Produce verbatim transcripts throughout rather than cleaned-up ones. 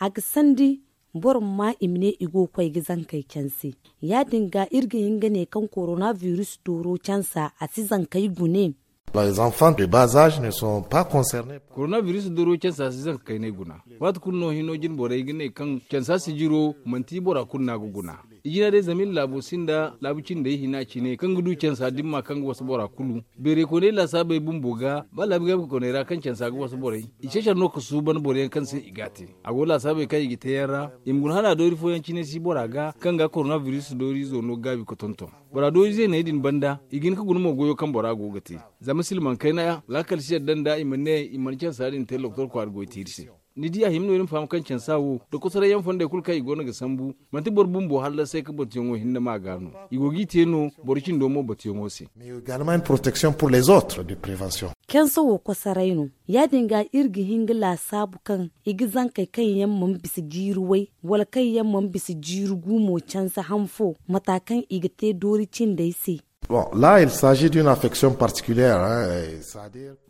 A ga sandi boro ma i ma ne i go ga koy ga zankey canse. Ya- din ga iri ga hin ga ne kaŋ korona biris dooro cansa a si zankey gune. Les enfants de bas âge ne sont pas concernés. Korona biris dooro cansa si zanka kaynay guna. Waati kulu no hino jine borey ga ne kaŋ cansa sijiro manti bora kulu no a ga guna. I jina day zama iri laabo sinda laabu cindey hina cine kaŋ ga du cansa dimma kaŋ ga wasa bora kulu. Beerey kooney laasaabey bumbo ga ba laabu gaabi kooney ra kaŋ cansa ga wasa borey, i cecar no ga suuban boro yaŋ kaŋ se i ga a te. A go laasaabey kaŋ i ga te yaŋ ra, i ma guna hala doori fooyaŋ cine si bora ga kaŋ ga korona biris dooriizo no gaabi ga tonton. Bora doori zeeney din banda i ga hin ga guna mo goyo kaŋ bora go ga te. Zama silmaŋ kayna laakal si yadda nda i ma ne i mana cansa din te doktor kwaara goy te iri se. Ni di a hima no iri ma faham kaŋ cansa wo nda kosoray yaŋ fondey kulu kaŋ i go no ga sambu, manti boro bumbo hallasay ga batuyaŋo hinne ma ga no. I go g'i te no boro cindo mo batuyaŋo se. Mais également une protection pour les autres de prévention. Cansa wo kosoray no. Ya- din ga iri ga hin ga laasaabu kaŋ i ga zankey kaŋ yaŋ mana bisa jiiri way wala kaŋ yaŋ mana bisa jiiri gumo cansa han fo mata kaŋ i ga te doori cindey se. Bon, là il s'agit d'une affection particulière.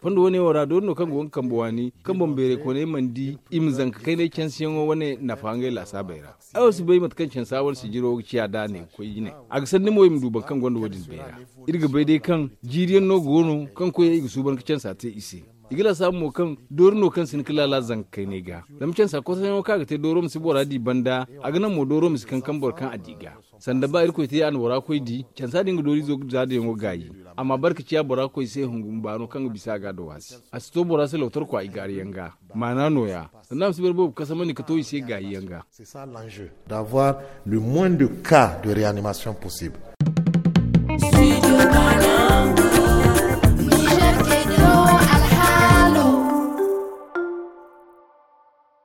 Fondo wane wo ra doori no kaŋ go ga kambe waani kaŋ boŋ beerey kooney mana di i ma zanka kaynay cansiyaŋo wane nafa ngey laasaabey ra. Ay wo si bay mate kaŋ cansa wane sijiro ga ciya da a ne ga koy jine. A ga sandi mo i ma du boro kaŋ gonda wo- din beera. Iri ga bay day kaŋ jiiri yaŋ no go no kaŋ koyey i ga suuban ga cansa te i se. I ga laasaabu mo kaŋ doori no kaŋ si hin ga laala zanka kaynay ga. Zama cansa kosoyaŋo kaŋ a ga te dooro ma si bora di banda, a ga naŋ mo dooro ma si kankam boro kaŋ a di ga. Sanda ba irkoy te a na bora koy di cansa din ga dooriizo ga zaadayaŋo gaayi. Amma barka ciya bora koy se hungum baano kaŋ ga bisa a ga da waasi. A si to bora se lotorkwa i gaari yaŋ ga. Maana nooya sanda a ma si boro boobo kasamandi ga to i se gaayi yaŋ ga. C'est ça l'enjeu, d'avoir le moins de cas de réanimation possible.